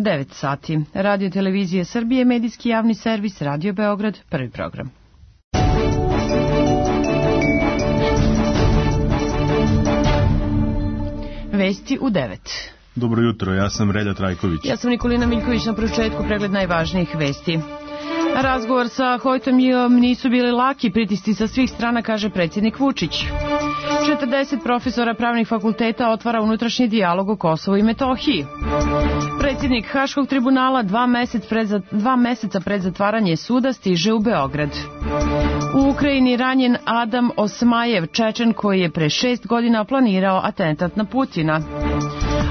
9 sati. Radio Televizije Srbije, medijski javni servis, Radio Beograd, prvi program. Vesti u 9. Dobro jutro, ja sam Relja Trajković. Ja sam Nikolina Miljković, na početku pregled najvažnijih vesti. Razgovor sa Hojtom Jiom nisu bili laki, pritisci sa svih strana, kaže predsjednik Vučić. 40 profesora pravnih fakulteta otvara unutrašnji dijalog o Kosovu i Metohiji. Predsjednik Haškog tribunala 2 meseca pred zatvaranje suda stiže u Beograd. U Ukrajini ranjen Adam Osmajev, Čečen koji je pre 6 godina planirao atentat na Putina.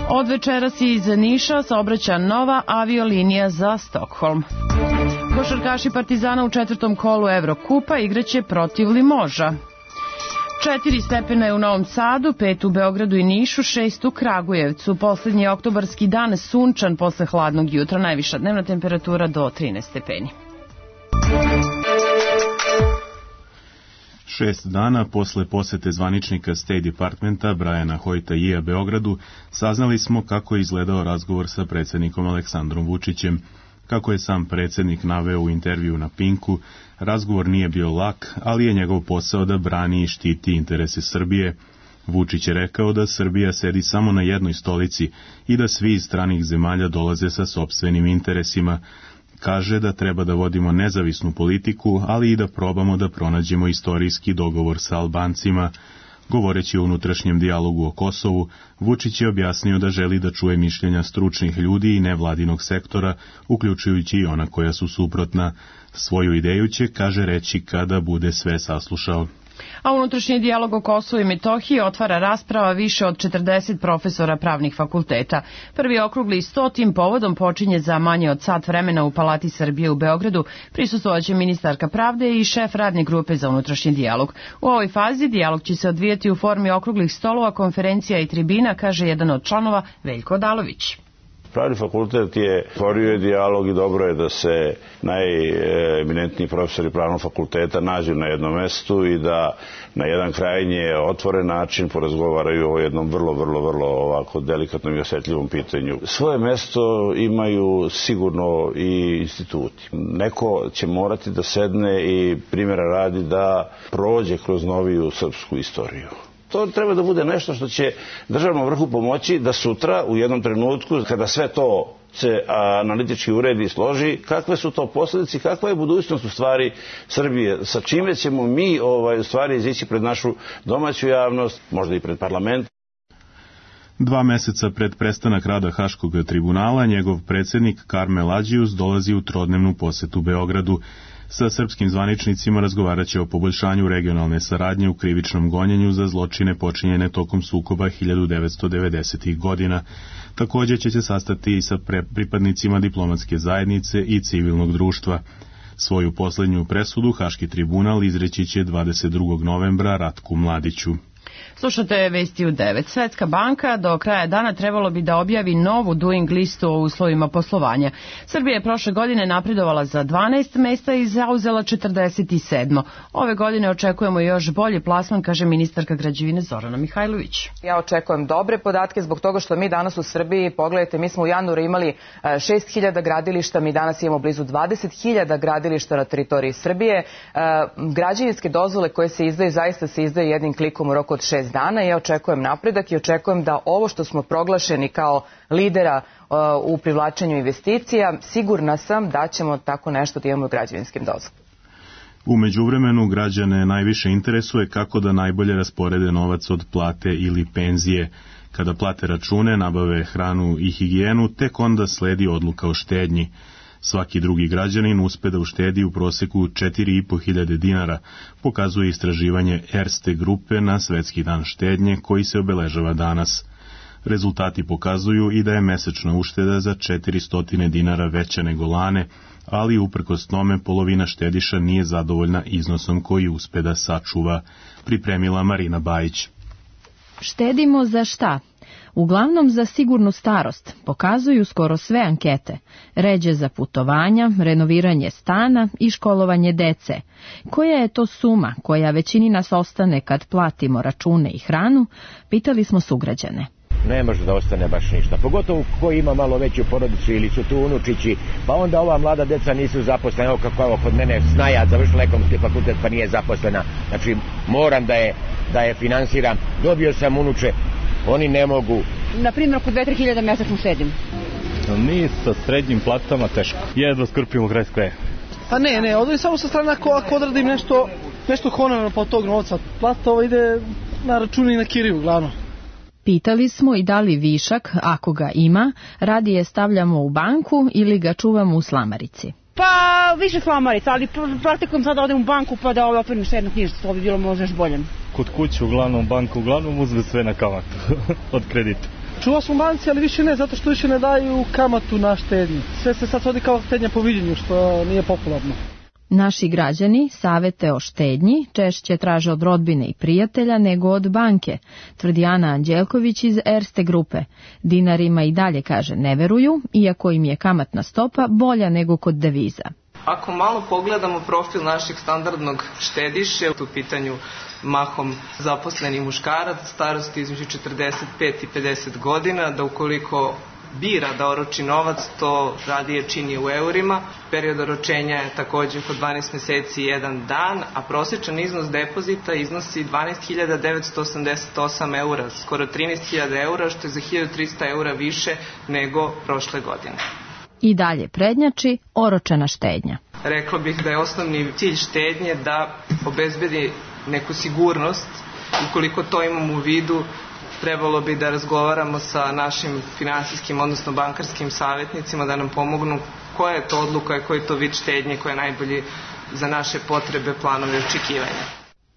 Od večeras iz Niša saobraća nova aviolinija za Stokholm. Košarkaši Partizana u 4. kolu Evrokupa igraće protiv Limoža. 4 stepena je u Novom Sadu, 5 u Beogradu i Nišu, 6 u Kragujevcu. Poslednji oktobarski dan sunčan posle hladnog jutra, najviša dnevna temperatura do 13 stepeni. 6 dana posle posete zvaničnika State Departmenta Briana Hojta Jia Beogradu saznali smo kako je izgledao razgovor sa predsjednikom Aleksandrom Vučićem. Kako je sam predsjednik naveo u intervju na Pinku, razgovor nije bio lak, ali je njegov posao da brani i štiti interese Srbije. Vučić je rekao da Srbija sedi samo na jednoj stolici i da svi iz stranih zemalja dolaze sa sopstvenim interesima. Kaže da treba da vodimo nezavisnu politiku, ali i da probamo da pronađemo istorijski dogovor sa Albancima. Govoreći o unutrašnjem dijalogu o Kosovu, Vučić je objasnio da želi da čuje mišljenja stručnih ljudi i nevladinog sektora, uključujući i ona koja su suprotna. Svoju ideju će, kaže, reći kada bude sve saslušao. A unutrašnji dijalog o Kosovu i Metohiji otvara rasprava više od 40 profesora pravnih fakulteta. Prvi okrugli sto tim povodom počinje za manje od sat vremena u Palati Srbije u Beogradu. Prisustvovaće ministarka pravde i šef radne grupe za unutrašnji dijalog. U ovoj fazi dijalog će se odvijati u formi okruglih stolova, konferencija i tribina, kaže jedan od članova Veljko Odalović. Pravni fakultet je otvorio dijalog i dobro je da se najeminentniji profesori pravnog fakulteta nađu na jednom mestu i da na jedan krajnje otvoren način porazgovaraju o jednom vrlo ovako delikatnom i osjetljivom pitanju. Svoje mesto imaju sigurno i instituti. Neko će morati da sedne i primjera radi da prođe kroz noviju srpsku istoriju. To treba da bude nešto što će državnom vrhu pomoći da sutra u jednom trenutku, kada sve to se analitički uredi i složi, kakve su to posljedice, kakva je budućnost u stvari Srbije, sa čime ćemo mi u stvari izići pred našu domaću javnost, možda i pred parlament. 2 meseca pred prestanak rada Haškog tribunala, njegov predsjednik Karmel Adžius dolazi u trodnevnu posetu Beogradu. Sa srpskim zvaničnicima razgovarat će o poboljšanju regionalne saradnje u krivičnom gonjenju za zločine počinjene tokom sukoba 1990. godina. Također će se sastati i sa pripadnicima diplomatske zajednice i civilnog društva. Svoju posljednju presudu Haški tribunal izreći će 22. novembra Ratku Mladiću. Slušate vesti u 9. Svetska banka do kraja dana trebalo bi da objavi novu doing listu o uslovima poslovanja. Srbija je prošle godine napredovala za 12 mesta i zauzela 47. Ove godine očekujemo još bolji plasman, kaže ministarka građevine Zorana Mihajlović. Ja očekujem dobre podatke zbog toga što mi danas u Srbiji, pogledajte, mi smo u januaru imali 6.000 gradilišta, mi danas imamo blizu 20.000 gradilišta na teritoriji Srbije. Građevinske dozvole koje se izdaju, zaista se izdaju jednim klikom u roku od 6 dana. Ja očekujem napredak i očekujem da ovo što smo proglašeni kao lidera u privlačenju investicija, sigurna sam da ćemo tako nešto da imamo u građevinskim dozvolama. U međuvremenu građane najviše interesuje kako da najbolje rasporede novac od plate ili penzije. Kada plate račune, nabave hranu i higijenu, tek onda sledi odluka o štednji. Svaki drugi građanin uspe da uštedi u proseku 4.500 dinara, pokazuje istraživanje Erste grupe na Svetski dan štednje koji se obeležava danas. Rezultati pokazuju i da je mesečna ušteda za 400 dinara veća nego lane, ali uprkos tome polovina štediša nije zadovoljna iznosom koji uspe da sačuva, pripremila Marina Bajić. Štedimo za šta? Uglavnom za sigurnu starost, pokazuju skoro sve ankete, ređe za putovanja, renoviranje stana i školovanje dece. Koja je to suma koja većini nas ostane kad platimo račune i hranu, pitali smo sugrađane. ne može da ostane baš ništa. Pogotovo ko ima malo veću porodicu ili su tu unučići, pa onda ova mlada deca nisu zaposlena, evo kako ovo kod mene Snaja završila ekonomski fakultet pa nije zaposlena, znači moram da je finansiram, dobio sam unuče, oni ne mogu. Na primjer, oko 2-3 hiljada mesečno šedim. Mi sa srednjim platama teško, jedva skrpimo kraj s kraja. Pa ne, odvoji samo sa strane ako odradim nešto honorarno pa od tog novca. Plata ide na računi i na kiriju, glavno. Pitali smo i da li višak, ako ga ima, radije stavljamo u banku ili ga čuvamo u slamarici. Pa više slamarica, ali praktikujem sad da odem u banku pa da otvorim štednu knjižicu, to bi bilo možda još bolje. Kod kuće uglavnom banka uzme sve na kamatu od kredita. Čuva smo banci, ali više ne, zato što više ne daju kamatu na štednju. Sve se sad svodi kao štednja po viđenju, što nije popularno. Naši građani savete o štednji češće traže od rodbine i prijatelja nego od banke, tvrdi Ana Anđelković iz Erste grupe. Dinarima i dalje, kaže, ne veruju, iako im je kamatna stopa bolja nego kod deviza. Ako malo pogledamo profil našeg standardnog štediše, u pitanju mahom zaposleni muškarac, starosti između 45 i 50 godina, da ukoliko bira da oroči novac, to radije čini u eurima. Period oročenja je također oko 12 meseci i 1 dan, a prosječan iznos depozita iznosi 12.988 eura, skoro 13.000 eura, što je za 1.300 eura više nego prošle godine. I dalje prednjači oročena štednja. Rekla bih da je osnovni cilj štednje da obezbedi neku sigurnost. Ukoliko to imamo u vidu, trebalo bi da razgovaramo sa našim finansijskim, odnosno bankarskim savjetnicima da nam pomognu koja je to odluka i koji je to vid štednje koja je najbolji za naše potrebe, planove i očekivanja.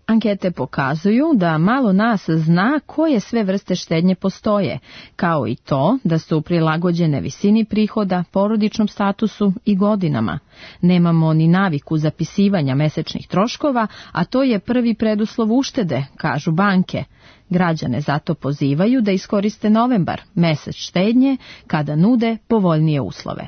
Ankete pokazuju da malo nas zna koje sve vrste štednje postoje, kao i to da su prilagođene visini prihoda, porodičnom statusu i godinama. Nemamo ni naviku zapisivanja mesečnih troškova, a to je prvi preduslov uštede, kažu banke. Građane zato pozivaju da iskoriste novembar, mesec štednje, kada nude povoljnije uslove.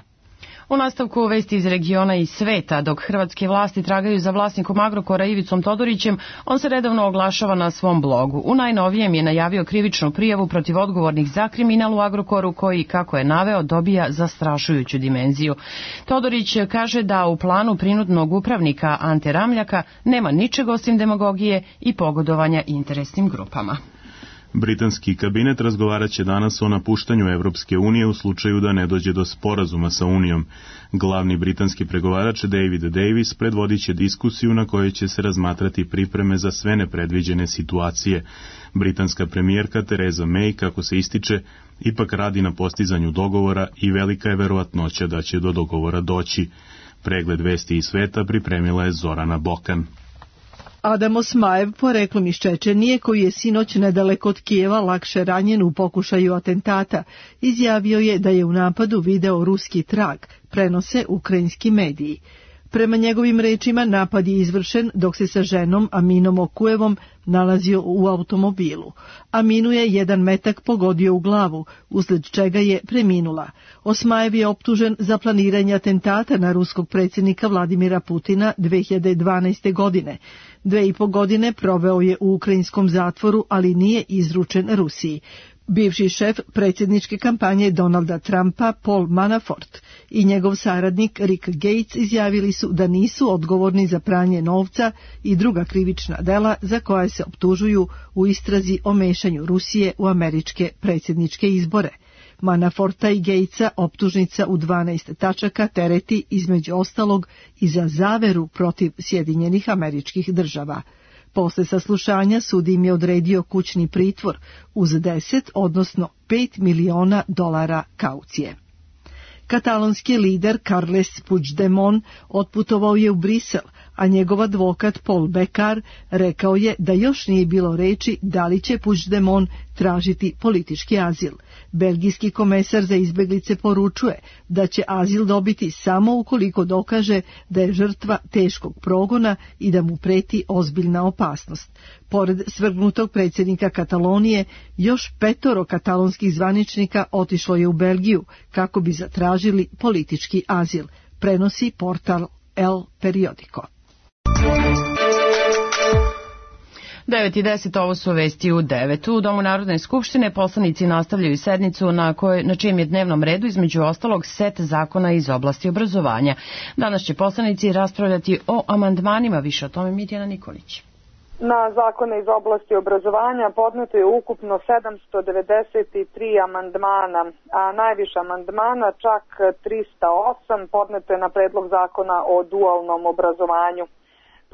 U nastavku vesti iz regiona i sveta, dok hrvatske vlasti tragaju za vlasnikom Agrokora Ivicom Todorićem, on se redovno oglašava na svom blogu. U najnovijem je najavio krivičnu prijavu protiv odgovornih za kriminal u Agrokoru koji, kako je naveo, dobija zastrašujuću dimenziju. Todorić kaže da u planu prinudnog upravnika Ante Ramljaka nema ničeg osim demagogije i pogodovanja interesnim grupama. Britanski kabinet razgovarat će danas o napuštanju Evropske unije u slučaju da ne dođe do sporazuma sa Unijom. Glavni britanski pregovarač David Davis predvodit će diskusiju na kojoj će se razmatrati pripreme za sve nepredviđene situacije. Britanska premijerka Theresa May, kako se ističe, ipak radi na postizanju dogovora i velika je verovatnoća da će do dogovora doći. Pregled vesti iz sveta pripremila je Zorana Bokan. Adam Osmajev, poreklom iz Čečenije, koji je sinoć nedaleko od Kijeva lakše ranjen u pokušaju atentata, izjavio je da je u napadu video ruski trag, prenose ukrajinski mediji. Prema njegovim rečima, napad je izvršen dok se sa ženom Aminom Okujevom nalazio u automobilu. Aminu je jedan metak pogodio u glavu, usled čega je preminula. Osmajev je optužen za planiranje atentata na ruskog predsjednika Vladimira Putina 2012. godine. 2,5 godine proveo je u ukrajinskom zatvoru, ali nije izručen Rusiji. Bivši šef predsjedničke kampanje Donalda Trumpa, Paul Manafort, i njegov saradnik Rick Gates izjavili su da nisu odgovorni za pranje novca i druga krivična dela za koja se optužuju u istrazi o mešanju Rusije u američke predsjedničke izbore. Manaforta i Gatesa optužnica u 12 tačaka tereti između ostalog i za zaveru protiv Sjedinjenih Američkih Država. Posle saslušanja sud im je odredio kućni pritvor uz 10, odnosno $5 miliona kaucije. Katalonski lider Carles Puigdemont otputovao je u Brisel, a njegov advokat Paul Bekar rekao je da još nije bilo reči da li će Puigdemont tražiti politički azil. Belgijski komesar za izbeglice poručuje da će azil dobiti samo ukoliko dokaže da je žrtva teškog progona i da mu preti ozbiljna opasnost. Pored svrgnutog predsjednika Katalonije, još 5 katalonskih zvaničnika otišlo je u Belgiju kako bi zatražili politički azil, prenosi portal El Periodico. 9:10, ovo su vesti u 9. U Domu Narodne skupštine poslanici nastavljaju sednicu na čijem je dnevnom redu između ostalog set zakona iz oblasti obrazovanja. Danas će poslanici raspravljati o amandmanima, više o tome Mirjana Nikolić. Na zakone iz oblasti obrazovanja podneto je ukupno 793 amandmana, a najviše amandmana, čak 308, podneto je na predlog zakona o dualnom obrazovanju.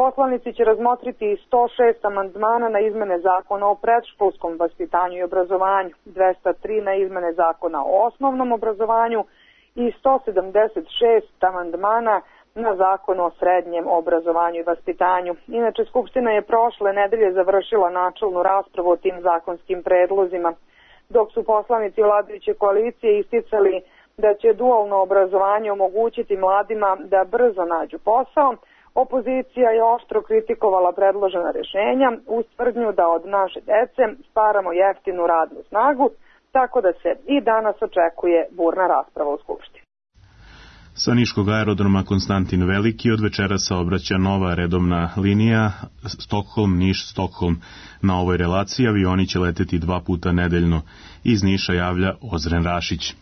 Poslanici će razmotriti i 106 amandmana na izmene zakona o predškolskom vaspitanju i obrazovanju, 203 na izmene zakona o osnovnom obrazovanju i 176 amandmana na zakon o srednjem obrazovanju i vaspitanju. Inače, Skupština je prošle nedelje završila načelnu raspravu o tim zakonskim predlozima, dok su poslanici vladajuće koalicije isticali da će dualno obrazovanje omogućiti mladima da brzo nađu posao. Opozicija je oštro kritikovala predložena rješenja uz tvrdnju da od naše dece stvaramo jeftinu radnu snagu, tako da se i danas očekuje burna rasprava u Skupštini. Sa niškog aerodroma Konstantin Veliki od večera saobraća nova redovna linija Stockholm-Niš-Stockholm. Na ovoj relaciji avioni će leteti 2 puta nedeljno. Iz Niša javlja Ozren Rašić.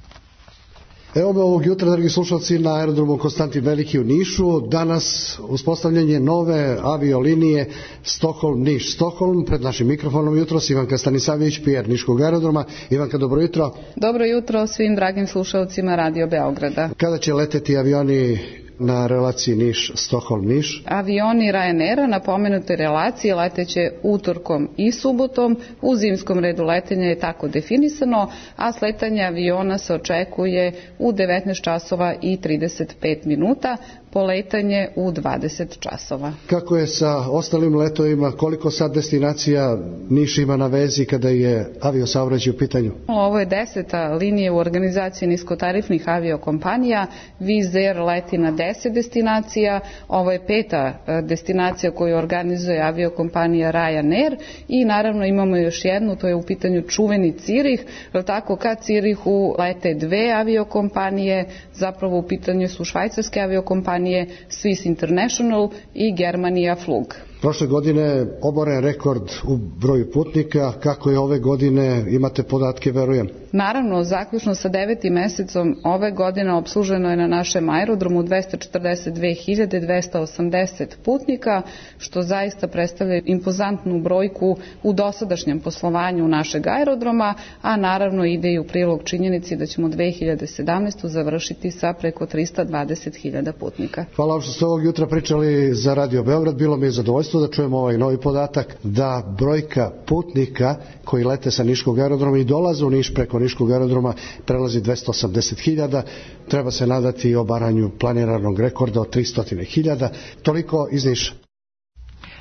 Evo me ovog jutra, dragi slušalci, na aerodromu Konstantin Veliki u Nišu. Danas uspostavljanje nove aviolinije Stockholm-Niš-Stockholm. Pred našim mikrofonom jutros Ivanka Stanisavljević, PR Niškog aerodroma. Ivanka, dobro jutro. Dobro jutro svim dragim slušalcima Radio Beograda. Kada će leteti avioni na relaciji Niš-Stockholm-Niš? Avioni Ryanaira na pomenutoj relaciji leteće utorkom i subotom. U zimskom redu letenja je tako definisano, a sletanje aviona se očekuje u 19 časova i 35 minuta, poletanje u 20 časova. Kako je sa ostalim letovima, koliko sad destinacija Niš ima na vezi kada je aviosaobraćaj u pitanju? Ovo je 10. linija u organizaciji niskotarifnih aviokompanija. Wizz Air leti na 10 destinacija, ovo je 5. destinacija koju organizuje aviokompanija Ryanair i naravno imamo još jednu, to je u pitanju čuveni Cirih, tako ka Cirihu lete 2 aviokompanije, zapravo u pitanju su švajcarske aviokompanije Swiss International i Germania Flug. Prošle godine oboren rekord u broju putnika, kako je ove godine, imate podatke, verujem? Naravno, zaključno sa 9. mesecom ove godine obsluženo je na našem aerodromu 242.280 putnika, što zaista predstavlja impozantnu brojku u dosadašnjem poslovanju našeg aerodroma, a naravno ide i u prilog činjenici da ćemo 2017. završiti sa preko 320.000 putnika. Hvala vam što ste ovog jutra pričali za Radio Beograd, bilo mi je zadovoljstvo da čujemo ovaj novi podatak da brojka putnika koji lete sa niškog aerodroma i dolaze u Niš preko niškog aerodroma prelazi 280.000. Treba se nadati i obaranju planiranog rekorda od 300.000. Toliko iz Niša.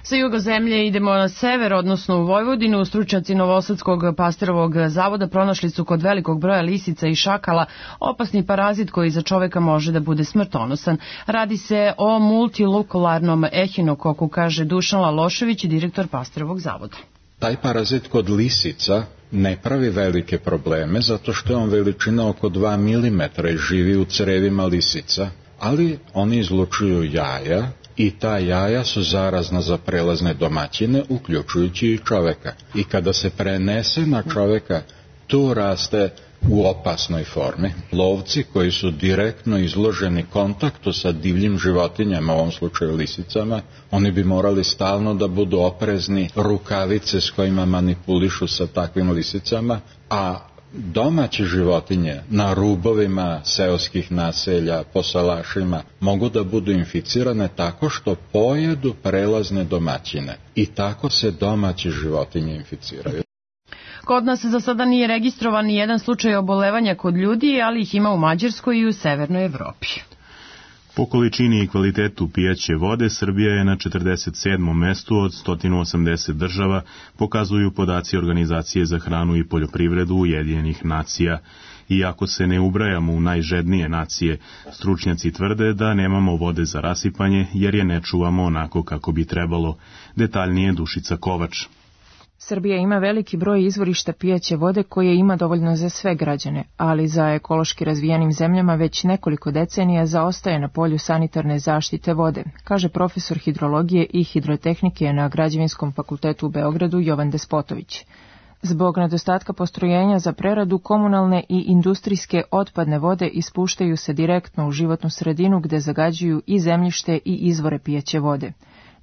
Sa juga zemlje idemo na sever, odnosno u Vojvodinu. Stručnjaci Novosadskog pastirovog zavoda pronašli su kod velikog broja lisica i šakala opasni parazit koji za čoveka može da bude smrtonosan. Radi se o multilokularnom ehinokoku, kaže Dušan Lalošević, direktor pastirovog zavoda. Taj parazit kod lisica ne pravi velike probleme zato što je on veličina oko 2 mm i živi u crevima lisica, ali oni izlučuju jaja i ta jaja su zarazna za prelazne domaćine, uključujući i čoveka. I kada se prenese na čoveka, tu raste u opasnoj formi. Lovci koji su direktno izloženi kontaktu sa divljim životinjama, u ovom slučaju lisicama, oni bi morali stalno da budu oprezni, rukavice s kojima manipulišu sa takvim lisicama, a domaće životinje na rubovima seoskih naselja, po salašima, mogu da budu inficirane tako što pojedu prelazne domaćine i tako se domaće životinje inficiraju. Kod nas za sada nije registrovan ni jedan slučaj obolevanja kod ljudi, ali ih ima u Mađarskoj i u Severnoj Evropi. Po količini i kvalitetu pijaće vode, Srbija je na 47. mestu od 180 država, pokazuju podaci Organizacije za hranu i poljoprivredu Ujedinjenih nacija. Iako se ne ubrajamo u najžednije nacije, stručnjaci tvrde da nemamo vode za rasipanje jer je ne čuvamo onako kako bi trebalo. Detaljnije Dušica Kovač. Srbija ima veliki broj izvorišta pijaće vode koje ima dovoljno za sve građane, ali za ekološki razvijenim zemljama već nekoliko decenija zaostaje na polju sanitarne zaštite vode, kaže profesor hidrologije i hidrotehnike na Građevinskom fakultetu u Beogradu Jovan Despotović. Zbog nedostatka postrojenja za preradu, komunalne i industrijske otpadne vode ispuštaju se direktno u životnu sredinu gde zagađuju i zemljište i izvore pijaće vode.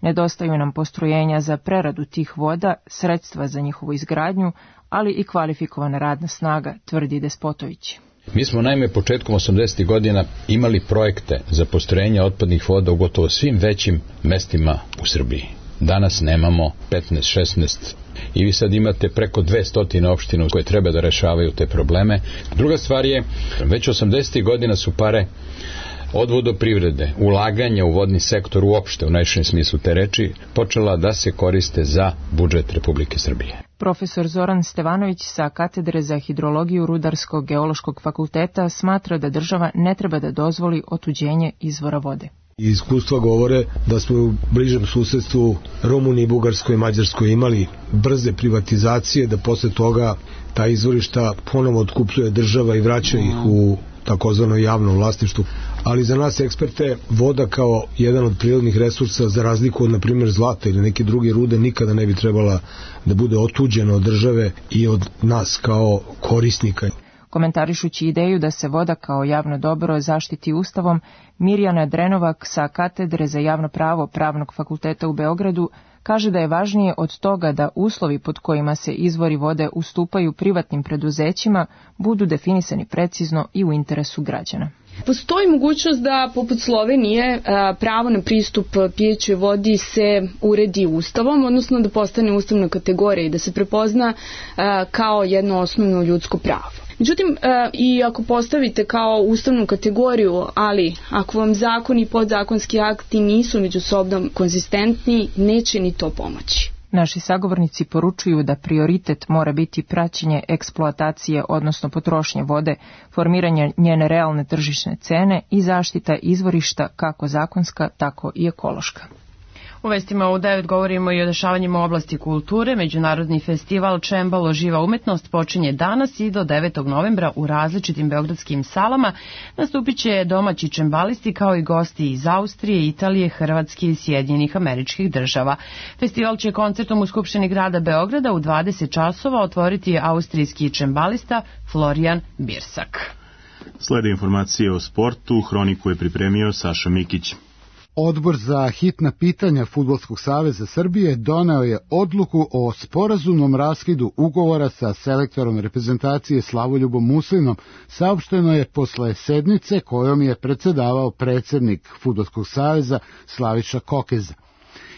Nedostaju nam postrojenja za preradu tih voda, sredstva za njihovu izgradnju, ali i kvalifikovana radna snaga, tvrdi Despotović. Mi smo naime početkom 80. godina imali projekte za postrojenje otpadnih voda u gotovo svim većim mestima u Srbiji. Danas nemamo 15-16 i vi sad imate preko 200 opština koje treba da rešavaju te probleme. Druga stvar je, već 80. godina su pare od vodoprivrede, ulaganja u vodni sektor uopšte, u najširem smislu te reči, počela da se koriste za budžet Republike Srbije. Profesor Zoran Stevanović sa katedre za hidrologiju Rudarskog geološkog fakulteta smatra da država ne treba da dozvoli otuđenje izvora vode. Iskustva govore da smo u bližem susedstvu Rumuniji, Bugarskoj i Mađarskoj imali brze privatizacije, da posle toga ta izvorišta ponovo otkupljuje država i vraća ih u takozvano javno vlasništvo. Ali za nas eksperte voda kao jedan od prirodnih resursa, za razliku od, na primjer, zlata ili neke druge rude, nikada ne bi trebala da bude otuđena od države i od nas kao korisnika. Komentarišući ideju da se voda kao javno dobro zaštiti Ustavom, Mirjana Drenovak sa katedre za javno pravo Pravnog fakulteta u Beogradu kaže da je važnije od toga da uslovi pod kojima se izvori vode ustupaju privatnim preduzećima budu definisani precizno i u interesu građana. Postoji mogućnost da, poput Slovenije, pravo na pristup pijećoj vodi se uredi Ustavom, odnosno da postane ustavna kategorija i da se prepozna kao jedno osnovno ljudsko pravo. Međutim, i ako postavite kao ustavnu kategoriju, ali ako vam zakoni i podzakonski akti nisu međusobno konzistentni, neće ni to pomoći. Naši sagovornici poručuju da prioritet mora biti praćenje eksploatacije, odnosno potrošnje vode, formiranje njene realne tržišne cene i zaštita izvorišta kako zakonska, tako i ekološka. U vestima u 9 govorimo i o dešavanjima u oblasti kulture. Međunarodni festival Čembalo živa umetnost počinje danas i do 9. novembra u različitim beogradskim salama. Nastupit će domaći čembalisti kao i gosti iz Austrije, Italije, Hrvatske i Sjedinjenih Američkih Država. Festival će koncertom u Skupštini grada Beograda u 20 časova otvoriti austrijski čembalista Florian Birsak. Slede informacije o sportu, hroniku je pripremio Saša Mikić. Odbor za hitna pitanja Fudbalskog saveza Srbije doneo je odluku o sporazumnom raskidu ugovora sa selektorom reprezentacije Slavoljubom Muslinom, saopšteno je posle sednice kojom je predsedavao predsednik Fudbalskog saveza Slaviša Kokeza.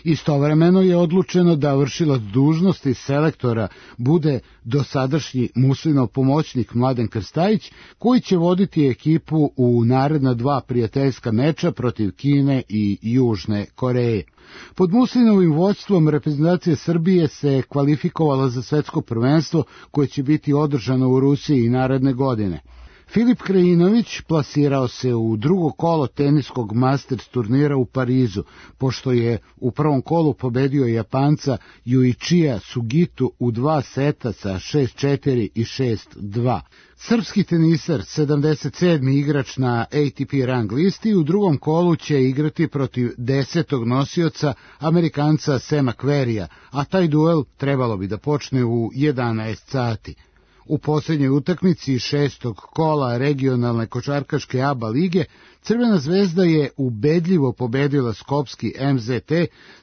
Istovremeno je odlučeno da vršilac dužnosti selektora bude dosadašnji Muslinov pomoćnik Mladen Krstajić, koji će voditi ekipu u naredna 2 prijateljska meča protiv Kine i Južne Koreje. Pod Muslinovim vođstvom reprezentacija Srbije se kvalifikovala za svetsko prvenstvo koje će biti održano u Rusiji naredne godine. Filip Krajinović plasirao se u drugo kolo teniskog Masters turnira u Parizu, pošto je u prvom kolu pobedio Japanca Yuichija Sugitu u 2 seta sa 6-4 i 6-2. Srpski tenisar, 77. igrač na ATP rang listi, u drugom kolu će igrati protiv 10. nosioca Amerikanca Sema Querrya, a taj duel trebalo bi da počne u 11 sati. U posljednjoj utakmici 6. kola regionalne košarkaške ABA lige Crvena zvezda je ubedljivo pobedila skopski MZT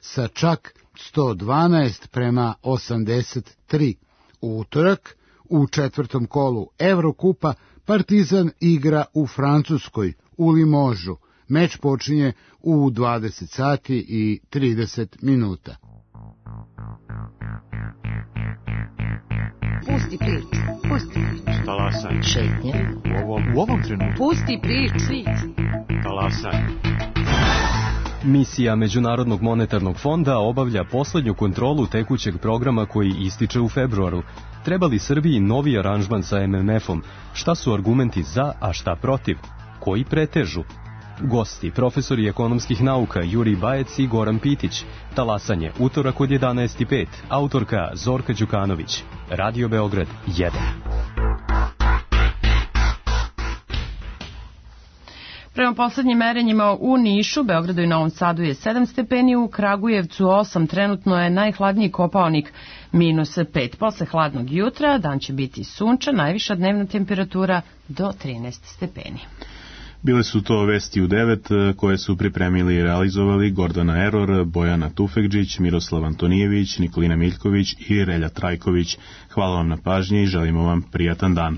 sa čak 112-83. U utorak, u 4. kolu Evrokupa, Partizan igra u Francuskoj, u Limožu. Meč počinje u 20 sati i 30 minuta. Pusti priču, pusti priču. Talasaj. Šetnje. U ovom trenutku. Pusti priču. Talasaj. Misija Međunarodnog monetarnog fonda obavlja poslednju kontrolu tekućeg programa koji ističe u februaru. Treba li Srbiji novi aranžman sa MMF-om? Šta su argumenti za, a šta protiv? Koji pretežu? Gosti, profesori ekonomskih nauka Jurij Bajec i Goran Pitić. Talasanje, utorak od 11:05. Autorka Zorka Đukanović. Radio Beograd 1. Prema poslednjim merenjima u Nišu, Beogradu i Novom Sadu je 7 stepeni, u Kragujevcu 8, trenutno je najhladniji Kopaonik -5. Posle hladnog jutra dan će biti sunčan, najviša dnevna temperatura do 13 stepeni. Bile su to vesti u 9 koje su pripremili i realizovali Gordana Eror, Bojana Tufekđić, Miroslav Antonijević, Nikolina Miljković i Relja Trajković. Hvala vam na pažnji i želimo vam prijatan dan.